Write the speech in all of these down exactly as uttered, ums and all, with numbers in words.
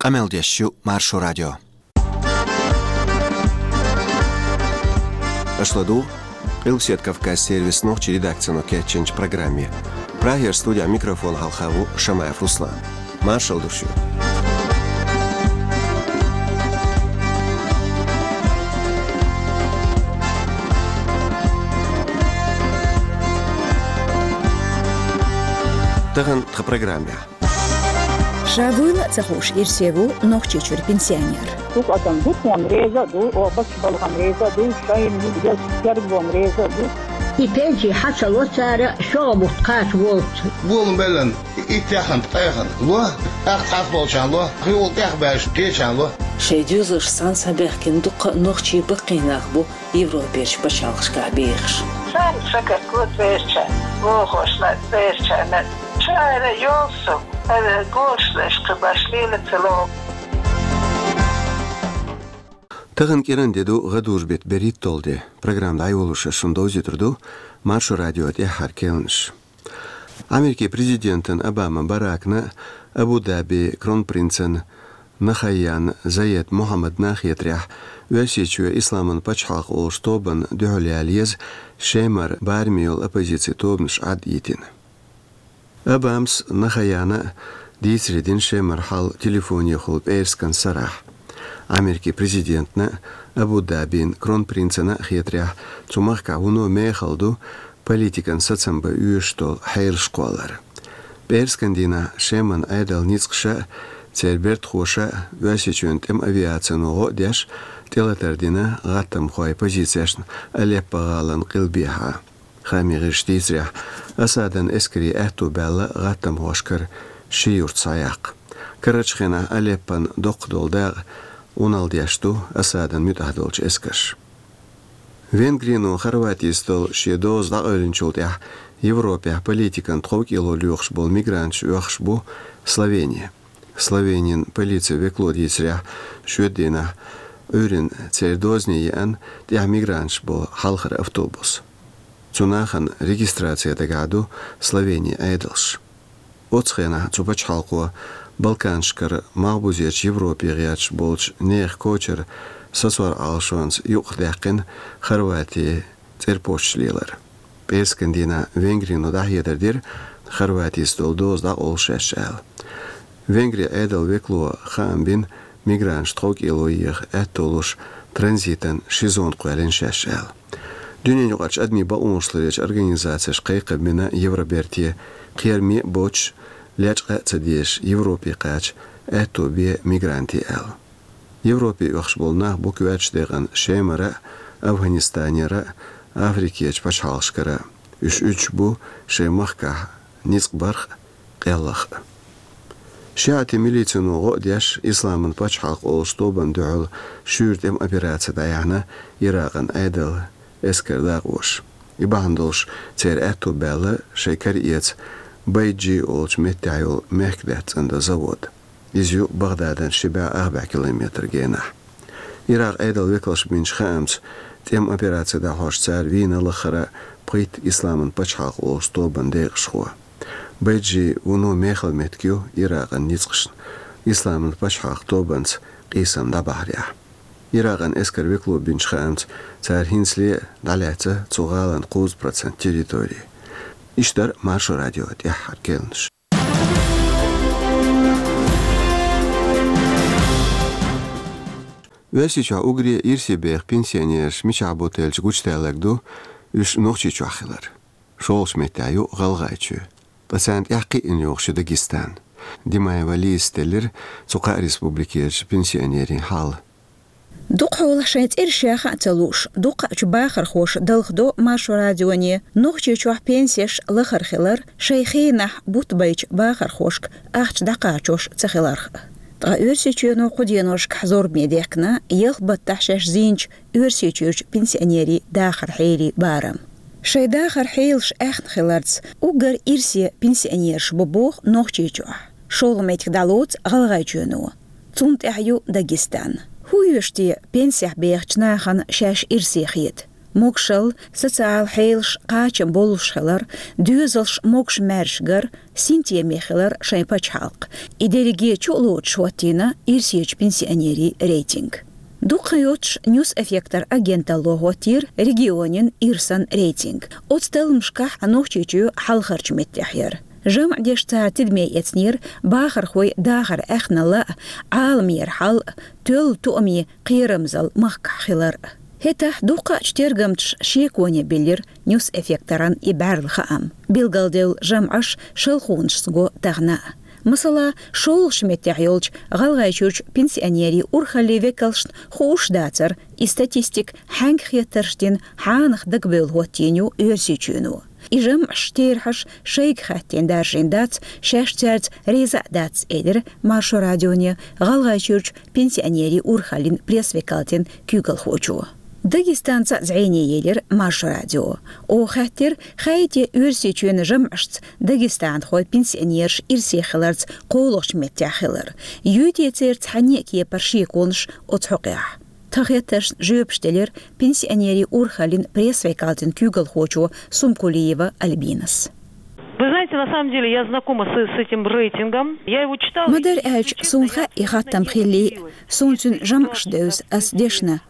Къамел деш ю Маршо радио. Аша ладугӀу Къилбаседа Кавказ сервисан нохчийн редакцино кечйинчу программе. Прагера студехь микрофон хьалха ву Шамаев Руслан. Маршалла ду шуьга. Тахана тхан программехь. Ша вуйла а ца хууш ирсе ву Нохчийчуьра пенсионер. Дукха адам ду тхуна реза а ду, оха баккхийбалхана реза а ду, шайна герга бан реза а ду. И пенси хьа ца ло цара, шолгӀа бутт кхача волчу. Болабелла, и тӀехана, тӀехана ло, тӀаккха цхьаболчарна ло, хьуьгӀал тӀехбаьлча кхечарна ло. Шайн доьзалш санна схьабаьхкина дуккха а нохчий баккхий нах бу Европерчу пачхьалкхашкахь бехаш. Царна сагатго церачарна, вохошна церачарна. Ша ара йолу со, ара гонаш деш кхин баш лела ца ло. Тахана кӀиран де ду, гӀадужу беттан берхӀитталгӀа де. Программа дӀайолош ас шуна довзуьйтур ду Маршо радион тӀаьххьара керланаш. Америкин президентан Обама Баракна а, Абу-Дабин кронпринцан Нахаян Заед Мухьаммадна а хетарехь, Оьрсийчоь Исламан пачхьалкх олучу тобанна дуьхьал яла еза, Шемара бараме йолу оппозицин тобанаш Ӏад йитина. Обамас а, Нахаяна а дийцаре дина Шемара хьал телефонехула пӀераскан сарахь. Америкин президентна а, Абу-Дабин кронпринцана а хетарехь, цу махкахь вуно мехала ду политикан сацам бан оьшуш долу хьелаш кхоллар. ПӀераскан дийнахь Шеман Ӏедалан ницкъаша а, церан бертахоша а Оьрсийчоьнан тӀеман авиацино гӀо а деш, тӀелатар дина гӀаттамхойн позицешна Алеппо-гӀалин къилбехьа. Хаамийн гӀирсаша дийцарехь, Асадан эскаре аьтто баьлла гӀаттамхошкара ши юрт схьаяккха. Карарчу хенахь Алеппон доккхах долу дакъа Ӏуналла деш ду Асадан муьтӀахь долчу эскарша. Венгрино Хорватица долу шен доза дӀакъевлинчул тӀаьхьа Европехь политикан тховкӀело лоьхуш болу мигранташ оьхуш бу Словени. Словенин полицин векало дийцарехь, шоьтан дийнахь Ӏуьйранна церан дозане еана тӀехь мигранташ болу хьалхара автобус. Цу нахана регистраци дагахь ду Словенин Ӏедалша. Оццу хенахь цу пачхьалкхо Балканашкара малхбузерчу Европе гӀерташ болчу нехан кочара сацор Ӏалашонца юкъахдаьккхина Хорватин цӀерпошташ лелар. ПӀераскан дийнахь Венгрино дӀахьедар дира, Хорватица долу доза дӀакъовла шаьш аьлла. Венгрин Ӏедалан векало хаам бина, мигранташ тховкӀело еха аьтто луш, транзитан ши зона кхоьллина шаьш аьлла. Дуьненаюкъарчу адамийн бакъонаш ларъечу организацеша кхайкхам бина Евроберте, кхераме а боцуш, лечкъа а ца дезаш, Европе кхача аьтто бе мигрантийн аьлла. Европе оьхуш болу нах бу коьртачу декъана Шемара а, Афганистанера а, Африкерчу пачхьалкхашкара а. Уьш уьдуш бу шайн махкахь ницкъ барх а, къеллах а. ШиӀитийн милицино гӀо а деш, Исламан пачхьалкх олучу тобанна дуьхьал шуьйра тӀеман операци дӀаяьхьна Иракъан Ӏедалан эскаран дакъоша. И бахьана долуш церан аьтто баьлла шайн кара эца Байджи олучу меттехь йолу мехкдаьтта цӀандан завод. Иза ю Багъдадана ши бӀе ах бӀе километр генахь. Иракъан Ӏедалан векалша бинчу хаамца, тӀеман операци дӀахьош цара вийна лаххара пхийтта Исламан пачхьалкх олучу тобанан декъашхо. Байджи вуно мехала меттиг ю Иракъан ницкъашна, Исламан пачхьалкх тобанца къийсам дӀабахьарехь. Иракъан эскаран векало бинчу хаамца, цара хӀинцале а дӀалаьцна цу гӀалин кхузткъа процент территори. Иштта дара Маршо радион тӀаьххьара керланаш. Оьрсийчохь уггаре ирсе беха пенсионераш мичахь бу теллича гучудаьлларг ду уьш Нохчийчохь хилар. ШолгӀачу меттехь ю ГӀалгӀайчоь. Ткъа царна тӀаьхьа кхиъна йогӀуш ю Дагестан. Димаева Лизас теллира цу кхаа республикерчу пенсионерийн хьал. Дукхахьолахь шайн цӀераш яха а ца лууш, дукхачу бахархоша далхадо Маршо радионе Нохчийчохь пенсеш лахара хилар, шайн хенахь бутт байчу бахархошка ахча дӀакхачош ца хиларх а. Ткъа Оьрсийчоьно кху деношкахь зорбане дехкина ялх баттахь шаьш зийначу Оьрсийчуьрчу пенсионерийн дахаран хьелий барам. Шайн дахаран хьелаш аьхна хиларца, уггар ирсе пенсионераш бу боху Нохчийчохь. ШолгӀа меттиг дӀалоцу ГӀалгӀайчоьно. Цунна тӀаьхьа ю Дагестан. ХӀун оьшу те пенсехь бехачу нахана шаьш ирсе хета? Могашал, социал хьелаш кхачам болуш хилар, доьзалш могаш-маьрша гар, синтеме хилар шайн пачхьалкх. И дерриге чу а лоцуш хӀоттийна Ирсечу пенсионерийн рейтинг. Дукха йоцуш Ньюс Эффектор агенталло хӀоттийра регионийн ирсан рейтинг. Оцу талламашкахь Нохчийчоь хьалхарчу меттехь яра. ЖамӀ деш цара тидаме эцнера бахархой дахар аьхналла а, Ӏаламера хьал а, тоьлла тоамийн кхерамзалла махкахь хилар а. ХӀетахь дукхачу тергамчаша шеконе биллира Ньюс Эффекторан и бӀаьрла хаам. Билгалдевлла жамӀаш шалхонашца го тахана а. Масала, шолгӀачу меттехь йолчу ГӀалгӀайчуьрчу пенсионерийн урхаллин векалшна хууш дацара и статистика хьаьнга хеттарш дина хьанах дагабевлла хӀоттийна ю Оьрсийчоьно. И жамӀаш, терахьаш шайга хаьттина даржийна дац, шаьш цаьрца реза а дац, элира Маршо радионе ГӀалгӀайчуьрчу пенсионерийн урхаллин пресс-векалтин куьйгалхочо. Дагестанца а зӀене елира Маршо радио. Оха хаьттира, хаьий те Оьрсийчоьнан жамӀашца дагестанхойн пенсионераш ирсе хиларца кхоалгӀачу меттехь хилар. Юй те церан цхьанне а кепара шеконаш оцу хьокъехь. Тхан хеттаршна жоьпаш делира пенсионерийн урхаллин пресс-векалтин куьйгалхочо Сумкулиева Альбинас. Вы знаете, на самом деле я знакома с, с этим рейтингом. Я его читала. Ма-дарра аьлча, суна хаьа и хаттам хиллий, суна цуьнан жамӀаш девза ас дешна.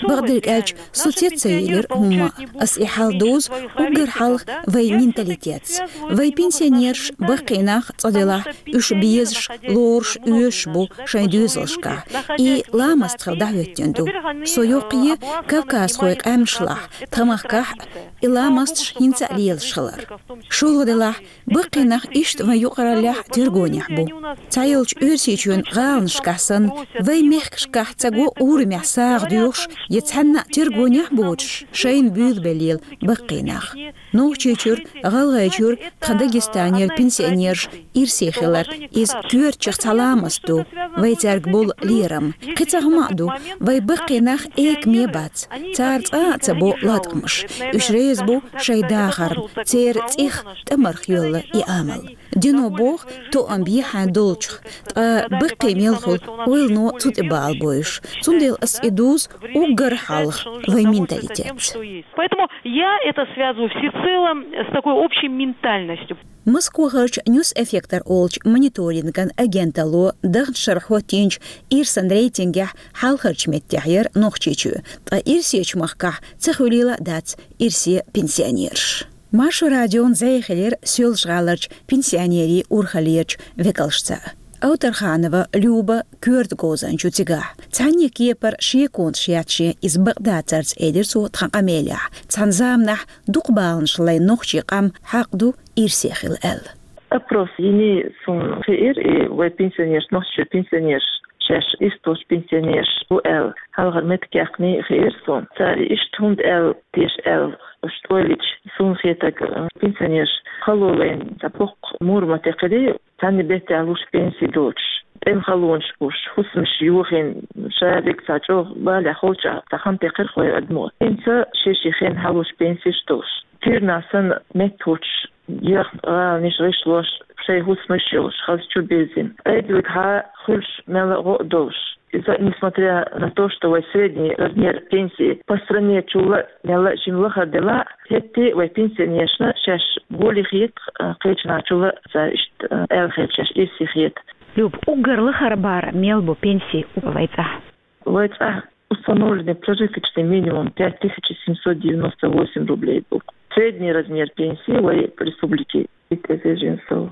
Бакъдерг аьлча, со цец ца елира хӀумма а. Ас и хьал дузу уггар хьалха вайн менталитетца. Вайн пенсионераш, баккхий нах, цкъа делахь, уьш безаш, лоруш, оьшуш бу шайн доьзалшкахь. И ламаст хила дӀахӀоьттина ду. Со йоккхае кавказхойн къаьмнашлахь, тхан махкахь а и ламасташ хӀинца а лелаш хилар. ШолгӀа делахь, баккхий нах иштта вайн юкъараллехь а тергонехь бу. Цхьайолчу Оьрсийчоьнан гӀаланашкахь санна, вайн мехкашкахь ца го урамехь сагӀа доьхуш я цхьанна а тергонехь а боцуш, шайна буьйлабелла баккхий нах. Нохчийчуьра, ГӀалгӀайчуьра, тхан Дагестанера пенсионераш ирсе хилар, иза коьртачех цхьа ламаст ду, вай цаьрга болу лерам. Кхин цхьа хӀума а ду, вай баккхий нах экаме бац, цара цкъа а ца бо латкъамаш. Уьш реза бу шайн дахарна, церан цӀих тӀамарх йоьлла и амал. Дино боху, тоам бехьан долчух, ткъа баккхий мел хуьлу, ойлано цу тӀе бала бойуш. Цундела ас и дузу уггар хьалха вайн менталитетца. Поэтому я это связываю всецело с такой общей ментальностью. Москвахарчу Ньюс Эффектор олучу мониторинган агенталло даханчу шарахь хӀоттийначу ирсан рейтингехь хьалхарчу меттехь яра Нохчийчоь, ткъа ирсечу махкахь ца хуьлийла а дац ирсе пенсионераш. Маршо радион зӀе хилира Соьлжа-ГӀаларчу пенсионерийн урхаллерчу векалшца. Авторханова Люба коьрта говзанча ю цигахь. Цхьанне кепара шеконаш яц шен иза бакъдацарца, элира цо тхан къамелехь. Цхьана заманахь дукха баланаш лайна нохчийн къам хьакъ ду ирсе хила аьлла. Опрос йиний суна хиира, и вай пенсионераш, Нохчийчуьра пенсионераш шаьш ирс долчу пенсионераш бу аьлла, хьалхара меттиг яьккхиний хиира суна. Цара иштта хӀунда аьлла, теша аьлла, уьш тӀе а лича, суна хетарг, пенсионераш кхоллалойн цхьа боккха мур ма-текхирий, цхьанна беттехь луш пенси доцуш, тӀеман халонаш болуш, хӀусамаш йохийна, ша верг цхьа чӀогӀа балехь холчахь цхьа хан текхира хӀокху адамо. ХӀинца шен-шен хенахь луш пенсеш долуш, куьйранна санна меттахӀуттуш, яхна гӀаланаш гӀишлош, шайн хӀусамаш йолуш, хаза чу бирзина, Ӏедалгахьа хуьлуш мелла а гӀо а долуш. Иза, несмотря на то, что вай средний размер пенсии по стране чул а мелла а жима лахара делахь а, хӀетте а вай пенсионерашна шаьш гулъян хета, а, кхечанхьа чул а цара иштта, а, аьлла хета, шаьш ирсе хета. Люба, уггар лахара бӀара мел бу пенси вай цӀахь? Вай цӀахь установленный прожиточный минимум пять тысяч семьсот девяносто восемь рублей бу. Средний размер пенсии вай республики пять тысяч семьсот.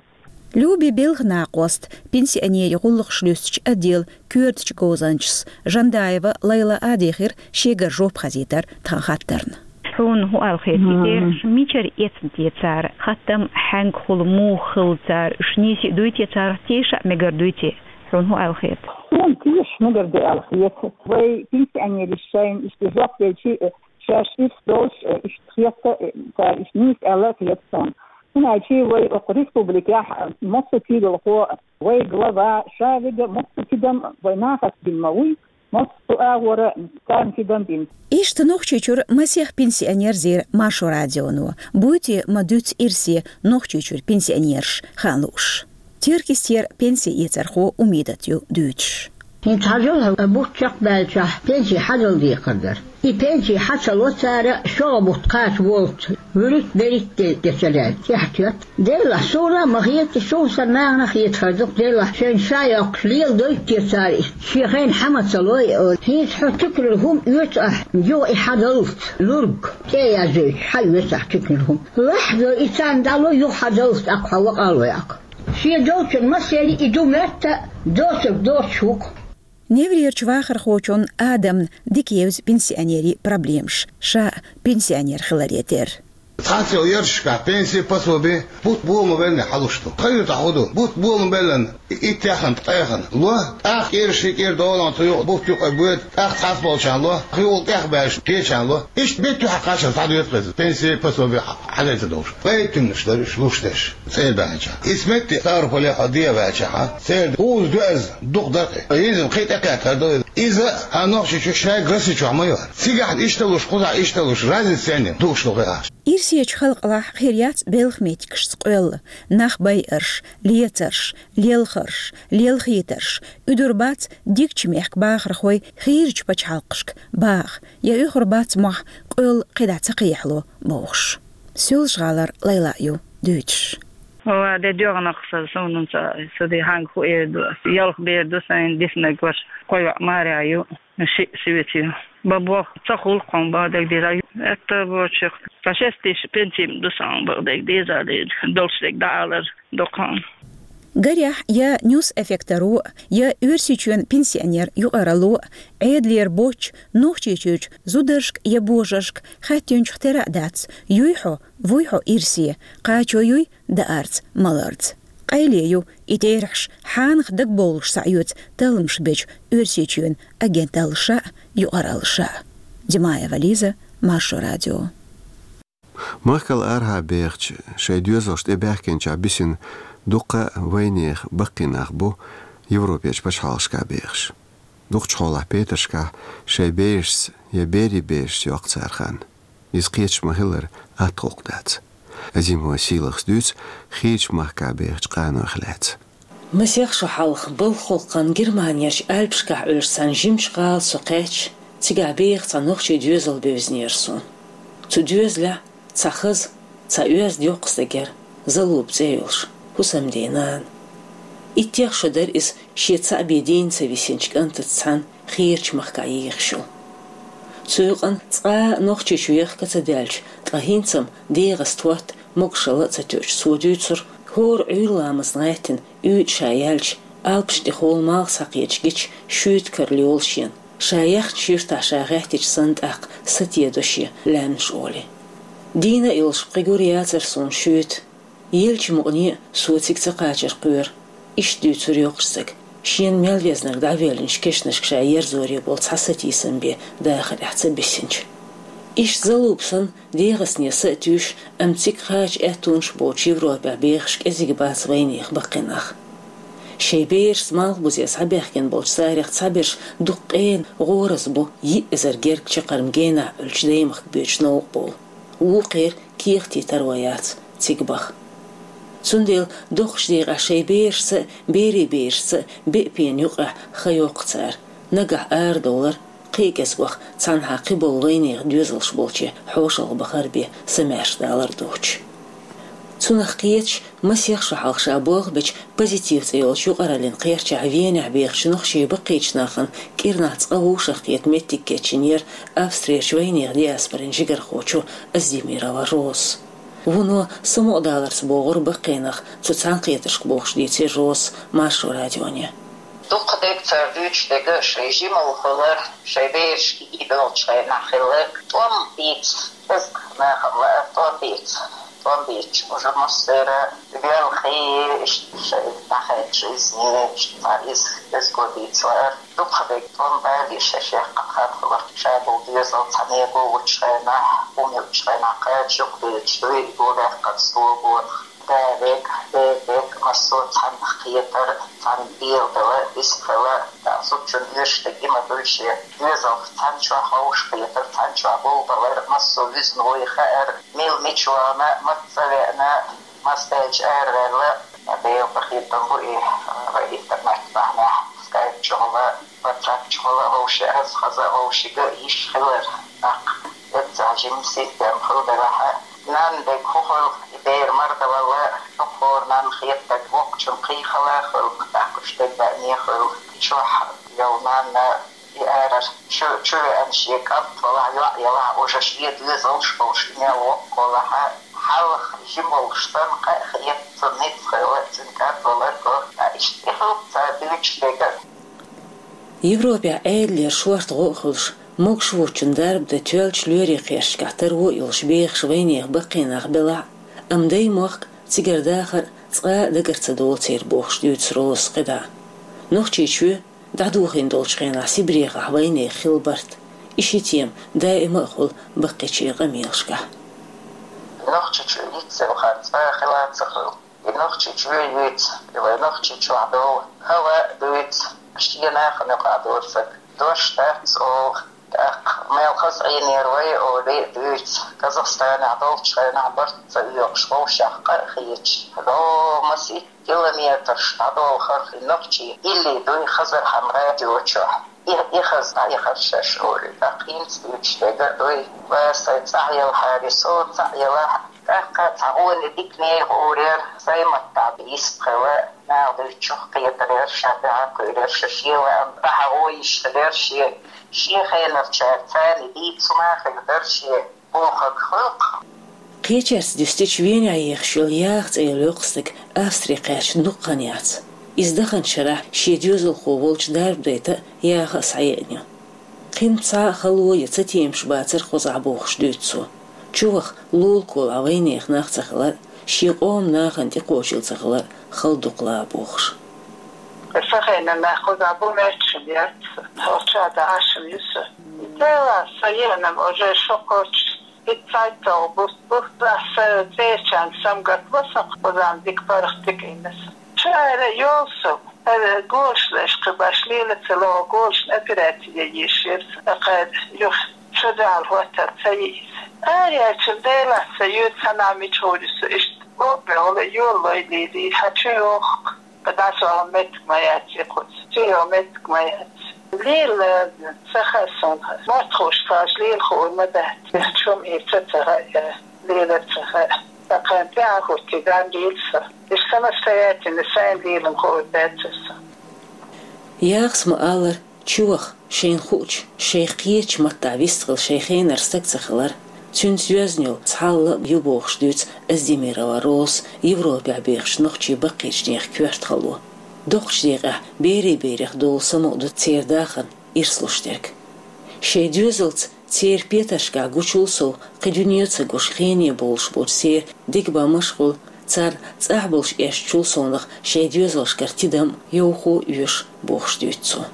Люби белхан накъост пенсионерийн гӀуллакхаш луьстучу отделан коьртачу говзанчас Жандаева Лайла а дийхира шегара жоп хазийтар тхан хаттарна. Хьуна хӀун аьлла хета, и терахьаш мичара эцна те цара? Хаттам хьаьнга хуьлу, муха хилла цара? Уьш нийса а дуй те, царах теша а мегар дуй те? Хьуна хӀун аьлла хета? Суна теша мегар ду аьлла хета. Вай пенсионераш шайна иштта жоп делчи, шаьш ирс долуш, иштта хета, цара иштта нийса аьлла а хета суна. ХӀунда аьлча вай окху республикехь массо а куьйгалхо, вай глава, ша вега массо а тидам вай нахаца бина ма вуй, массо а агӀора царна тидам бина. Иштта Нохчийчуьра масех пенсионер зийра Маршо радионо. Буй те ма дуьйцу ирсе Нохчийчуьра пенсионераш, хан лууш? Теркйистера пенси эцархо Умидат ю дуьйцуш. ХӀинца хьажал хьо, бутт чекхбаьлчахь, пенси хьажал декхар дара. И пенси хьа ца ло цара, шогӀа бутт кхача волчу вуьрхӀитта-берхӀитта де ца лаьцна, тӀехьа тоьтту. Деллахь, суна а ма хета, суна санна нахана хетахар ду-кх, деллахь, шайна ша йоккхуш леладойту те цара и, шен хенахь хьа ма ца лой, олий. ХӀинца хьо туьканара хӀума оьцу ахь, юха и хьа даллалц, лург тӀе а яздойтуш, хьа оьцу ахь туьканара хӀума. Лахьадо и царна дӀало, юха хьа даллалц, тӀаккха хьо вакъа а лой ахь. Шен долчун массеран и ду моьтту, доцург доцуш ву-кх. Неврерчу вахархочунна Адамна дика евза пенсионерийн проблемаш, ша пенсионер хиларе терра. Цхьацца йолу ярташкахь пенси, пособи бутт болу ма беллина хьалуш ду. Тхан юьртахь хӀун ду? Бутт болу ма беллина, и иттех а, ткъех а ло, тӀаккха кӀира, ши кӀира долахь цу юкъа бутт юкъа боьду, тӀаккха цхьацца болчарна ло, хьуьгӀал тӀехбаьлча кхечарна ло. Иштта беттахь кхаччалц схьадоьду-кх иза, пенси, пособи хьа-, хьадайта долуш. Пайда туьманаш дара уьш луш дерш, цӀера баьхьначохь. Исс метте Ставрополехь хьо дӀаваьлчахь, церан кхузза доьазза дукха дара-кх. Иза кхин тӀекхеттар ду иза. Иза а Нохчийчу шайга Росси чохь ма ю. Цигахь иштта луш, кхузахь иштта луш, разница церан дукхаш ду кхин ахча. Ирсечу халкъалахь хир яц белхан меттигашца къоьлла, нах байарш, лецарш, лелхарш, лелхийтарш, уьдур бац дикачу мехкан бахархой хийрачу пачхьалкхашка баха, я уьхур бац мохь къоьлла кхидӀа ца кхехьало бохуш. Соьлжа-ГӀалара Лайла ю дуьйцуш. Ва де доьгӀнах сан, суна ца, ца де хьанга хӀун эр ду ас. Ялх бер ду сайн, диснарг ваша, кхо йоӀ маьрша ю, шиъ соьца ю. Бан болх ца хуьлу-кх хьуна, бан дерг деза. Аьтто боцуш, ткъа шестий пенси ма ду сан, бан дерг деза, долуш дерг дӀаалар ду-кх хьуна. Гарехь, я ньюс-эффекторо, я Оьрсийчоьнан пенсионер юкъаралло, Ӏедалера боцчу Нохчийчуьрчу зударшка я божаршка хаьттинчух тера а дац, юй хьо, вуй хьо ирсе, кхачо юй даарца, маларца. Къайле ю и терахьаш хьанах дагабовлуш схьаоьцу талламаш бечу Оьрсийчоьнан агенталлаша а, юкъараллаша а. Димаева Лиза, Маршо радио. Махкал арахьа бехачу, шайн доьзалшна тӀебаьхкинчохь бисина дуккха а вайнехан баккхий нах бу Европерчу пачхьалкхашкахь бехаш. Дукхачу хьолахь петаршкахь шайн берашца я берийн берашца йоккху цара хан. Иза кхеташ ма-хиллара, атта гӀуллакх дац. Азимова Сийлахас дуьйцу хийрачу махкахь бехачу къанойх лаьцна. Масех шо хьалха балха гӀуллакхан Германерчу Альпашкахь Ӏуьллуш цхьана жимачу гӀала со кхаьчча, цигахь беха цхьа нохчийн доьзал бевзинера суна. Цу доьзалехь цхьа хаза, цхьа оьзда йоккха стаг яра, Залуба цӀе йолуш, хӀусамден нана. Иттех шо дара иза шен цхьаъ бен дийна ца висинчу кӀантаца цхьаьна хийрачу махкахь ехаш йолу. Цу юкъана цкъа а Нохчийчу вехка ца даьлча, ткъа хӀинца-м дегӀаца тотта, могушалла а ца тоьуш, цо дуьйцура, хӀора Ӏуьйра ламазна гӀаьттина, уьйтӀа ша яьлча, Ӏалпаш тӀе хӀолла малх схьакхеташ гича, шуьйта карла йолу шена. Ша яьхначу юьртахь ша гӀаьттича санна тӀаккха сатедо шен лаьмнаш олий. Дийна а йолуш, пхи гур яцара суна шуьйта. Еллачу мукъане а со цига ца кхачар кхоьру. Иштта дуьйцура йоккхачу стага, шена мел везнарг дӀавоьллинчу кешнашка ша ерзоре болу цхьа сатийсам бен дахарехь ца бисинчу. Иштта Залуба санна, дегӀастане са а туьйсуш, амма цига кхача аьттонаш боцуш Европехь бехаш кӀезиг бац вайнехан баккхий нах. Шайн берашца малхбузе схьабаьхкина болчу царех цхьаберш дукха къена, гӀораза бу, йиъ эзар гергга чаккхарма генахь Ӏуьллучу даймахка боьдуш новкъа бовла. Вукхеран кехатий таро яц цига баха. Цундела доккхачу декъехь шайн берашца а, берийн берашца а беа пена юкъехь хан йоккху цара, нагахь арадовлар, кхин а кӀезгох цхьанхьа кхиболу вайнехан доьзалш болче хьошалгӀа бахар бен самаьрша далар доцуш. Цунах кхеташ, масех шо хьалха ша болх бечу «Позитив» цӀе йолчу юкъараллин кхерчахь Венехь бехачу нохчийн баккхийчу нахана кӀирнахь цкъа вовшахкхета меттиг кечйинера Австрерчу вайнехан диаспорин жигархочо Оздемирова Роза. Вуно самукъадаларца богӀура баккхий нах цу цхьаьнакхетаршка бохуш, дийцира Розас Маршо радионе. Дукха дерг цара дуьйцуш дерг шайн жималла хилар, шайн берашка ийдолчу хенахь хилар, тӀом бийца, кӀезиг нахана лаар, тӀом бийца, тӀом бийцча, уже массара велхий, иштта шайн дӀахаьдда жизни, иштта цхьа иза кӀезиго бийца лаар. Дукха дерг тӀом бале шаьш яьккхина хан хилар, ша болу доьзал цхьа мегар вучу хенахь, хӀума йолчу хенахь кхача юкъа дуьйцуш, дуьйна гулбаьккхина стогора. Да, век, век, век, массо а цхьаннах кхетар, цхьаьна белхала, вистхила, да, зудчун оьшург и ма дуй шен. Доьзалх цхьаьна чохь хьовш кхетар, цхьаьна чохь болбалар, массо а вуьзна вуй хаар, мила мича вахана, маца веана, массаьрчу араваьлла, Делан къинхетам бу и, вай интернет бахьанехь, скайп чухула. Вовши аз хаза, вовшига йиш хилар. ТӀаккха эццахь жима ситтем хиларехь, нанна дерг хӀун хуьлу, и бер мара дан вала, хӀун хӀора нанна хетарг воккхачун кхийхала хуьлу, тӀаккха уьш дерг баьӀне хуьлу. Чохь йолу нанна и арара чу, чу веана шен кӀант валахь, йоӀ ялахь, уже шен доьзалш болуш и мел воккха валахь, хьалха жима волуш санна къа а хета, цунна ницкъ хила, цуьнан кӀант валар го. Ткъа иштта и хилла цара дуьйцуш дерг а. Европехь Ӏедалера шорта гӀо а хуьлуш, могуш воцчун дарба дан тоьллачу лоьрийн кхерчашкахь таро а йолуш бехаш вайнехан баккхий нах белахь а, амма даймохк цигара дахар цкъа а дагара ца долу церан бохуш дуьйцу Розас кхидӀа. Нохчийчоь дӀадохийна долчу хенахь Сибрехахь вайнехан хилла барт. И ши тема даима а хуьлу баккхийчеран къамелашкахь. Нохчийчоь йицъелхьара цкъа а хила ца хуьлу. И Нохчийчоь юьйцу, и вай Нохчийчохь долу хӀаваъ дуьйцу, шен нахана юкъахь долу стаг. Дош дац олу, тӀаккха мел хаза Ӏийнера вай олий а дуьйцу, Казахстанехь долчу хенахь барт ца оьхуш, вовшех къа а хеташ, ло масийтта километраш дӀадолхура и нохчий, илли дуй хазархьама радио чохь. И, и хаза дӀаяхара шаьш олий, тӀаккха хӀинца дуьйцуш дерг а дуй, ва сайн цӀахь елхьара, со цӀахь елахь, тӀаккха цхьа гӀоне дика нехан гӀурера, сайн маттахь йист хила, наха дуьйцучух кхетар яра, ша тӀаьхьа кхуьур яра, ша шен лаам дӀахьа гӀо йиш хилира шен, шен хенарчара царна дийца хӀума хир дара шен. Кхечаьрца дуьстича, Венехь ехаш йолу Яха цӀе йолу йоккха стаг Австри кхаьчна дукха хан яц. Иза даханчу шарахь шен доьзалхо волчу дарба дайта а Яха а схьаеана ю. Кхин цхьа а хало я цатемаш бацара кхузахь бохуш дуьйцу цо. Чуваха лулахь вайнехан нах ца хилар а, шен къоман нахана тӀекхочийла ца хилар а хала дукха лаахь бохуш. Сан хенахь нах кхузахь бу моьттуш яц, хӀокху чохь дӀа Ӏаш ю со. Делахь, сан еанам уже шо кхочуш. ИццайтталгӀа бус-, бусалба церачарна самгатван со, кхузахь дика паргӀат дика йина со. Шу ара йолу со, ара голаш леш кхин баш лела ца ло, голашна операци ян йиш яра со, тӀаккха юха шу дуьхьал хӀоттар ца йиъ иза. Араяьлчун Делахь сан юьйцу хьанна мича гӀур ю со, иштта боху бегӀла йолалой лелий, хьан чу йоху? ДӀасахьа меттиг ма яц и кхуза. Чу йо меттиг ма яц. Лела ца хаьа суна. Мотт хууш цхьа лела хуур ма дац. Чум и ца ца хаьа, лела ца хаьа. Сан кхин тӀаьхьа хӀуттий дан дийла со. Иштта самостоятельно сайн лелам хуур дац аса. Яхас ма-аллара, чуваха, шайна хуучу, шайх кхечу маттахь вистхила шайн хенара стаг ца хилар, цуьнца йоьзна йолу цхьалла а ю бохуш дуьйцу Аздемирова Розас Европехь бехачу нохчийн баккхийчу нехан коьрта хало. Доккхачу декъехь берийн берех долу самукъа ду церан дахарна ирс луш дерг. Шайн доьзалца церан петаршкахь гучул сов, кхин дуьне ца гуш, хене бовлуш болчу церан дегабан машкъал, царна цӀахь болуш эшначул совнаха шайн доьзалшкара тидам а, йовхо а оьшу бохуш дуьйцу цо.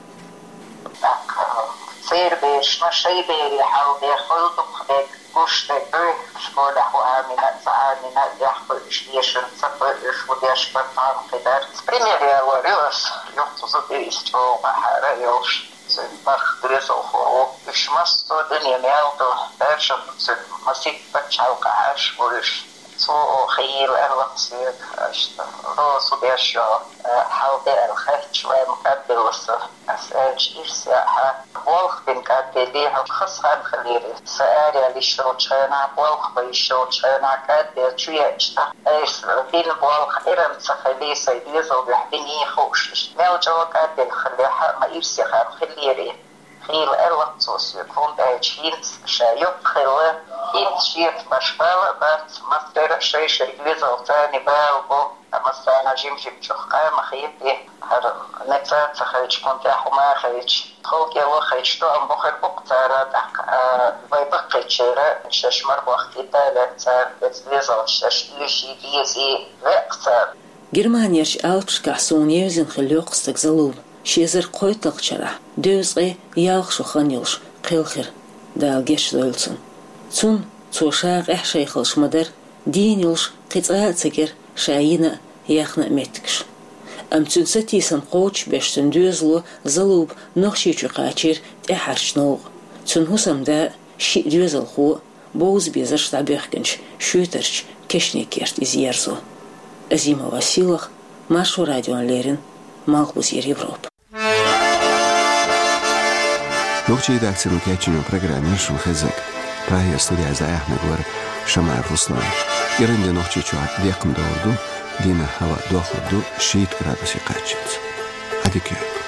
ТӀаккха церан берашна шайн берийн хьал бен хуьлу дукха дерг гуш дерг дуй, школехь хӀун Ӏамийна а, ца Ӏамийна а, дехьа кхуьуш, дешар ца кхуьуш, хӀун деш бара, тхьамма кхин дара. Пример ялор ю аса, юха цу зудий иза чӀогӀа къахьара а йолуш. Цуьнан бархӀ доьзалхо ву. Уьш массо а дуьненан ял ду, даржам цуьнан масийтта пачхьалкхехь Ӏаш ву уьш. Цо оха хийла аьлла-кх соьга, аша, Роза, хӀун деш ю, хьал де аьлла хаьттича, вайн кӀадделла со. Ас аьлча, ирс яа хьан, болх бина кӀадделлий хьо, хаза хан хилира. Сан араяьлла йиш йолчу хенахь, болх бан йиш йолчу хенахь кӀадделла чу еача, тӀаккха айса бина болх Ӏиран ца хилий, сайн доьзал дуьхьа бинийла хууш, иштта мел чӀогӀа кӀадделла хиллехь а, ма ирсе хан хиллерий. Хийла аьлла-кх цо соьга, хӀунда аьлча хӀинца ша юккъе хилла, хӀинца шеца баш бала а бац, массеран а шай-шайн доьзалца царна бала бу, ткъа массарна жим-жимчух къа ма хетий, хӀара ницкъ ца хилча, кхунна тӀехь хӀума хилча, тхов кӀело хилча, тоам бу хир бу-кх цара, тӀаккха, а, вай баккхийчеран шаьш мара бохкийта лаьцна цара, оцу доьзалца шаьш оьший, дезий веа-кх цара. Германерчу Алпашкахь суна евзина хилла йоккха стаг Залуба ши эзар кхойтталгӀачу шарахь, дезткъе ялх шо хан йолуш, кхелхира, Дала гечдойла цунна. Цунна, цо ша къаьхьа шайхалш ма-дарра, дийна йолуш кхин цкъа а ца гира ша йина а, яьхна а меттигаш. Амма цуьнан сатийсам кхочушбеш, цуьнан доьзало Залуба Нохчийчу кхачийра тӀаьххьарчу новкъа. Цуьнан хӀусамда а, шиъ доьзалхо а, бовза-безарш дӀабоьхкинчу Шуьйтарчу Кешнийн керта иза ерзо. Азимова Сийлаха, Маршо радиона леррина, Малхбузера Европа. Нохчийн редакцино кечйина программа яр шуна хезарг. Прагера студехь дӀаяьхьнарг вара Шамаев Руслан. КӀиранде Нохчийчохь декхна довр ду, дийнахь хӀаваъ дохлур ду шийтта градусе кхаччалц. Ӏадика йойла.